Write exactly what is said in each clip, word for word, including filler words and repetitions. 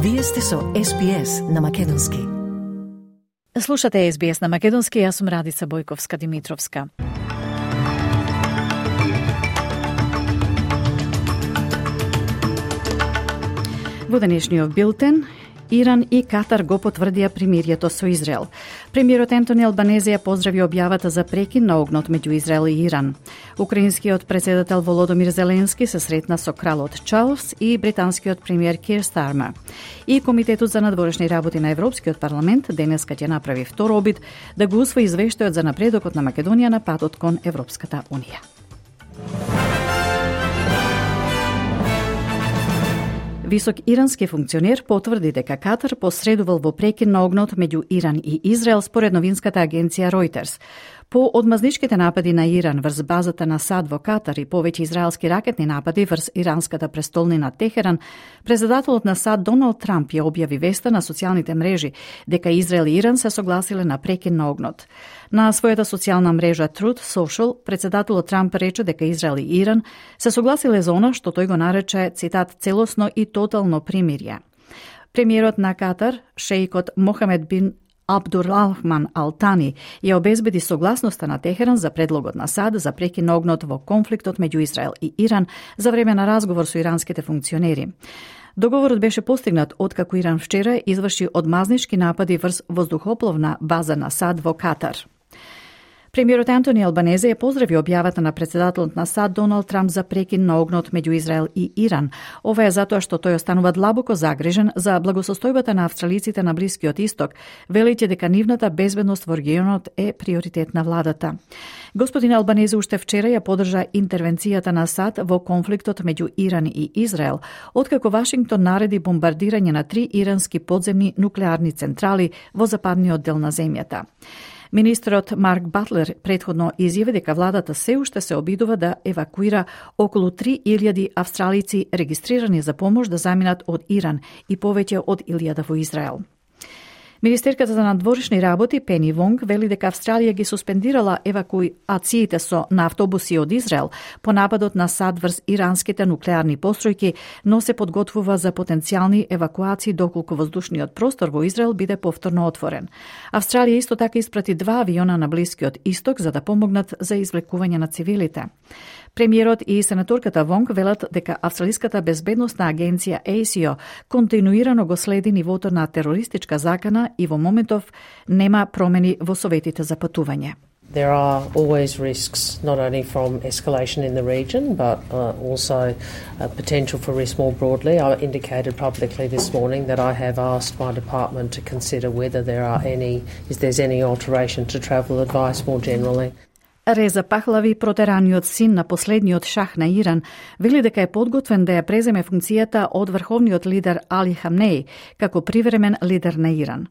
Вие сте со Ес Би Ес на Македонски. Слушате Ес Би Ес на Македонски, јас сум Радица Бојковска-Димитровска. Во денешниот билтен, Иран и Катар го потврдија примирието со Израел. Премиерот Ентони Албанезе ја поздрави објавата за прекин на огнот меѓу Израел и Иран. Украинскиот председател Володомир Зеленски се сретна со кралот Чарлс и британскиот премиер Кир Стармер. И Комитетот за надворешни работи на Европскиот парламент денеска ќе направи втор обид да го усвои извештајот за напредокот на Македонија на патот кон Европската унија. Висок ирански функционер потврди дека Катар посредувал во прекин на огнот меѓу Иран и Израел според новинската агенција Reuters. По одмазничките напади на Иран врз базата на САД во Катар и повеќе израелски ракетни напади врз иранската престолнина Техеран, председателот на САД Доналд Трамп ја објави веста на социјалните мрежи дека Израел и Иран се согласиле на прекин на огнот. На својата социјална мрежа Truth Social, председателот Трамп рече дека Израел и Иран се согласиле за она што тој го нарече, цитат, целосно и тотално примирје. Премиерот на Катар, шеикот Мохамед бин Абдурахман Алтани ја обезбеди согласноста на Техеран за предлогот на САД за прекин на огнот во конфликтот меѓу Израел и Иран за време на разговор со иранските функционери. Договорот беше постигнат откако Иран вчера изврши одмазнички напади врз воздухопловна база на САД во Катар. Премиерот Ентони Албанезе ја поздрави објавата на председателот на САД Доналд Трамп за прекин на огнот меѓу Израел и Иран. Ова е затоа што тој останува длабоко загрижен за благосостојбата на австралиците на Блискиот Исток, велејќи дека нивната безбедност во регионот е приоритет на владата. Господин Албанезе уште вчера ја поддржа интервенцијата на САД во конфликтот меѓу Иран и Израел, откако Вашингтон нареди бомбардирање на три ирански подземни нуклеарни централи во западниот дел на земјата. Министрот Марк Батлер претходно изјави дека владата се уште се обидува да евакуира околу три илјади австралици регистрирани за помош да заминат од Иран и повеќе од илјада во Израел. Министерката за надворешни работи Пени Вонг вели дека Австралија ги суспендирала евакуациите со на автобуси од Израел по нападот на САД врз иранските нуклеарни постројки, но се подготвува за потенцијални евакуации доколку воздушниот простор во Израел биде повторно отворен. Австралија исто така испрати два авиона на Блискиот Исток за да помогнат за извлекување на цивилите. Премиерот и сенаторката Вонг велат дека Австралиската безбедносна агенција А С И О континуирано го следи нивото на терористичка закана и во моментов нема промени во советите за патување. There are always risks, not only from escalation in the region, but uh, also a potential for risk more broadly. I indicated publicly this morning that I have asked my department to consider whether there are any, if there's any alteration to travel advice more generally. Реза Пахлави, протераниот син на последниот шах на Иран, вели дека е подготвен да ја преземе функцијата од врховниот лидер Али Хамнеи како привремен лидер на Иран.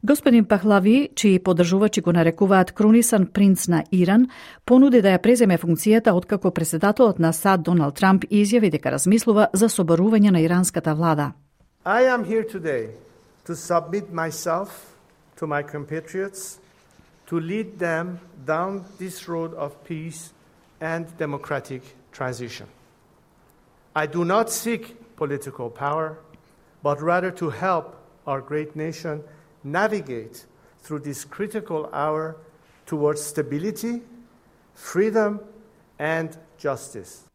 Господин Пахлави, чии поддржувачи го нарекуваат крунисан принц на Иран, понуди да ја преземе функцијата откако председателот на САД Доналд Трамп изјави дека размислува за соборување на иранската влада. I am here today to submit myself to my compatriots to lead them down this road of peace and democratic transition. I do not seek political power, but rather to help our great nation navigate through this critical hour towards stability, freedom, and justice.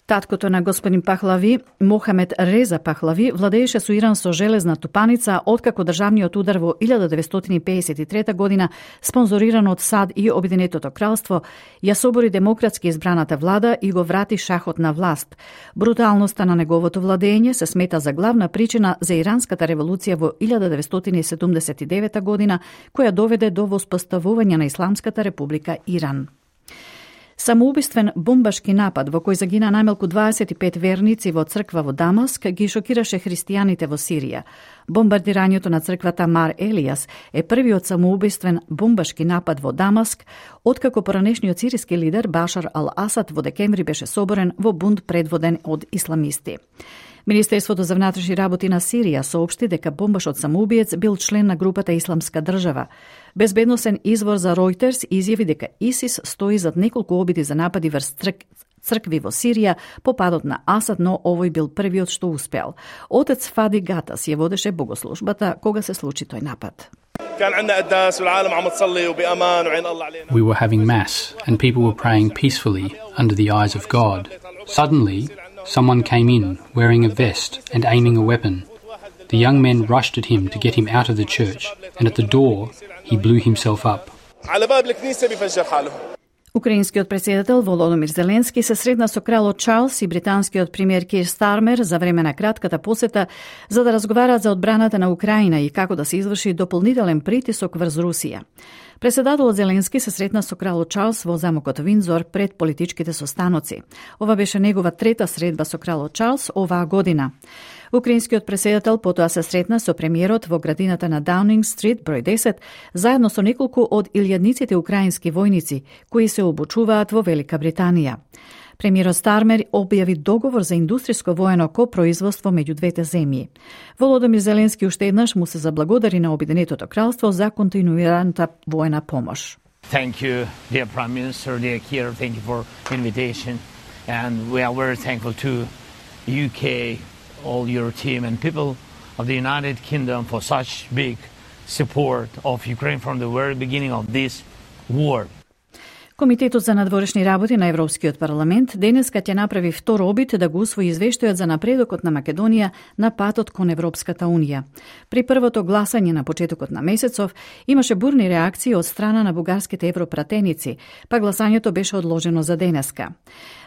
Таткото на господин Пахлави, Мохамед Реза Пахлави, владееше со Иран со железна тупаница откако државниот удар во илјада деветстотини пеесет и трета година, спонзориран од САД и Обединетото кралство, ја собори демократски избраната влада и го врати шахот на власт. Бруталноста на неговото владење се смета за главна причина за иранската револуција во илјада деветстотини седумдесет и девета година, која доведе до воспоставување на Исламската република Иран. Самоубиствен бомбашки напад во кој загина најмалку дваесет и пет верници во црква во Дамаск ги шокираше христијаните во Сирија. Бомбардирањето на црквата Мар Елијас е првиот самоубиствен бомбашки напад во Дамаск, откако поранешниот сириски лидер Башар ал-Асад во декември беше соборен во бунт предводен од исламисти. Министерството за внатрешни работи на Сирија соопшти дека бомбашот самоубиец бил член на групата Исламска држава. Безбедносен извор за Reuters изјави дека ИСИС стои зад неколку обиди за напади врз цркви во Сирија по падот на Асад, но овој бил првиот што успеал. Отец Фади Гатас ја водеше богослужбата кога се случи тој напад. We were having mass and people were praying peacefully under the eyes of God. Suddenly, someone came in wearing a vest and aiming a weapon. The young men rushed at him to get him out of the church, and at the door, he blew himself up. Украинскиот претседател Володомир Зеленски се сретна со кралот Чарлс и британскиот премиер Кир Стармер за време на кратката посета за да разговараат за одбраната на Украина и како да се изврши дополнителен притисок врз Русија. Претседателот Зеленски се сретна со кралот Чарлс во замокот Виндзор пред политичките состаноци. Ова беше негова трета средба со кралот Чарлс оваа година. Украинскиот претседател потоа се сретна со премиерот во градината на Даунинг Стрит број десет, заедно со неколку од илјадниците украински војници кои се обучуваат во Велика Британија. Премиерот Стармер објави договор за индустријско воено копроизводство меѓу двете земји. Володомир Зеленски уште еднаш му се заблагодари на Обединетото кралство за континуираната воена помош. Thank you, dear Prime Minister, dear Keir, thank you for invitation, and we are very thankful to U K, all your team and people of the United Kingdom for such big support of Ukraine from the very beginning of this war. Комитетот за надворешни работи на Европскиот парламент денеска ќе направи втор обид да го усвои извештајот за напредокот на Македонија на патот кон Европската унија. При првото гласање на почетокот на месецов имаше бурни реакции од страна на бугарските европратеници, па гласањето беше одложено за денеска.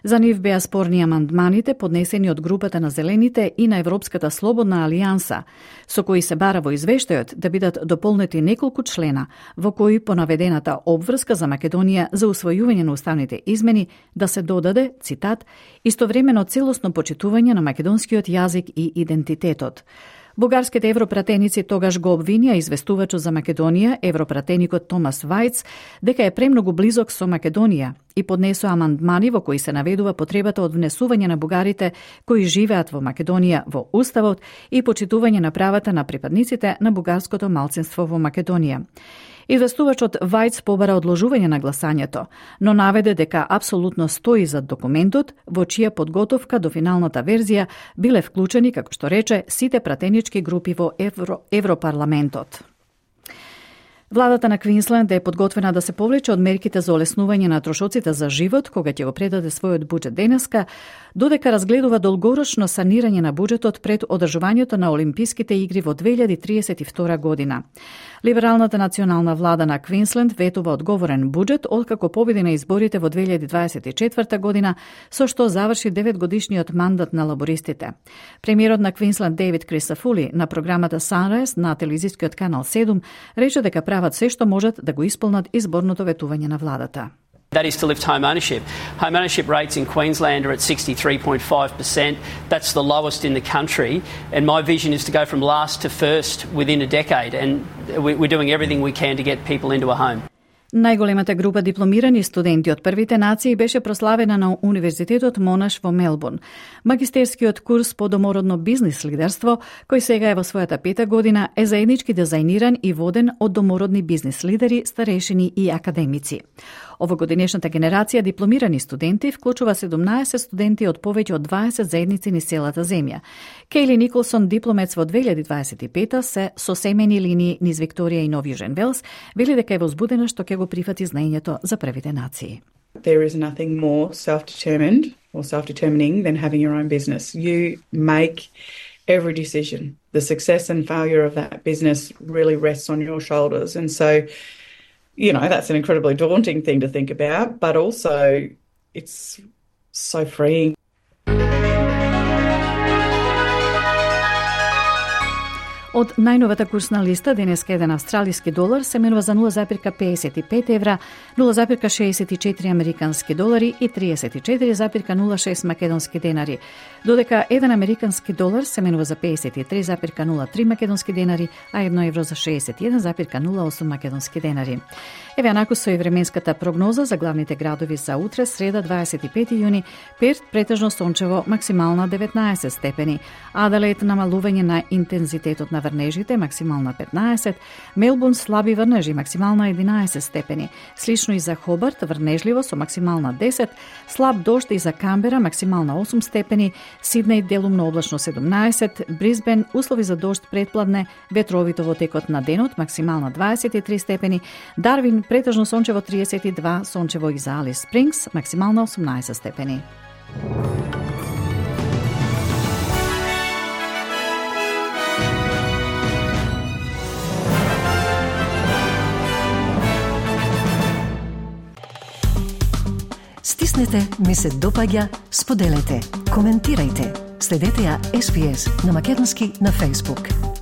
За нив беа спорни амандманите поднесени од групата на Зелените и на Европската слободна алијанса, со кои се бара во извештајот да бидат дополнети неколку члена во кои по наведената обврска за Македонија за усвојување на уставните измени да се додаде, цитат, истовремено целосно почитување на македонскиот јазик и идентитетот. Бугарските европратеници тогаш го обвинија известувачот за Македонија, европратеникот Томас Вајц, дека е премногу близок со Македонија и поднесоа амандмани во кои се наведува потребата од внесување на бугарите кои живеат во Македонија во Уставот и почитување на правата на припадниците на бугарското малцинство во Македонија. Известувачот Вајц побара одложување на гласањето, но наведе дека апсолутно стои зад документот, во чија подготовка до финалната верзија биле вклучени, како што рече, сите пратенички групи во Евро, Европарламентот. Владата на Квинсленд е подготвена да се повлече од мерките за олеснување на трошоците за живот, кога ќе го предаде својот буџет денеска, додека разгледува долгорочно санирање на буџетот пред одржувањето на Олимписките игри во две илјади триесет и втора година. Либералната национална влада на Квинсленд ветува одговорен буџет откако победи на изборите во две илјади дваесет и четврта година, со што заврши деветгодишниот мандат на лабористите. Премиерот на Квинсленд Дейвид Крисафули на програмата Sunrise на телевизискиот канал седум рече дека прават се што можат да го исполнат изборното ветување на владата. That is to lift home ownership. Home ownership rates in Queensland are at sixty-three point five percent. That's the lowest in the country. And my vision is to go from last to first within a decade. And we're doing everything we can to get people into a home. Најголемата група дипломирани студенти од првите нации беше прославена на Универзитетот Монаш во Мелбурн. Магистерскиот курс по домородно бизнис лидерство, кој сега е во својата пета година, е заеднички дизајниран и воден од домородни бизнис лидери, старешини и академици. Овогодинешната генерација дипломирани студенти вклучува седумнаесет студенти од повеќе од дваесет заедници низ целата земја. Кейли Николсон, дипломец во две илјади дваесет и пета, се со семејни линии низ Викторија и Нов Јужен Велс, вели дека е возбудена што ќе го прифати знаењето за првите нации. There is nothing more self-determined or self-determining than having your own business. You make every decision. The success and failure of that business really rests on your shoulders. And so, you know, that's an incredibly daunting thing to think about, but also it's so freeing. Од најновата курсна листа денеска еден австралиски долар се менува за нула запирка педесет и пет евра, нула запирка шеесет и четири американски долари и триесет и четири запирка нула шест македонски денари, додека еден американски долар се менува за педесет и три запирка нула три македонски денари, а едно евро за шеесет и еден запирка нула осум македонски денари. Еве анаку со и временската прогноза за главните градови за утре, среда дваесет и пети јуни, Перт претежно сончево, максимална деветнаесет степени, Аделаид намалување на интензитетот на врнежите максимална петнаесет, Мелбурн слаби врнежи максимална единаесет степени, слично и за Хобарт врнежливо со максимална десет, слаб дожд и за Камбера максимална осум степени, Сиднеј делумно облачно седумнаесет, Брисбен услови за дожд предпладне, ветровито во текот на денот максимална дваесет и три степени, Дарвин претежно сончево триесет и два, сончево и за Алис Спрингс максимална осумнаесет степени. Стиснете, ми се допаѓа, споделете, коментирајте. Следете ја Ес Би Ес на македонски на Facebook.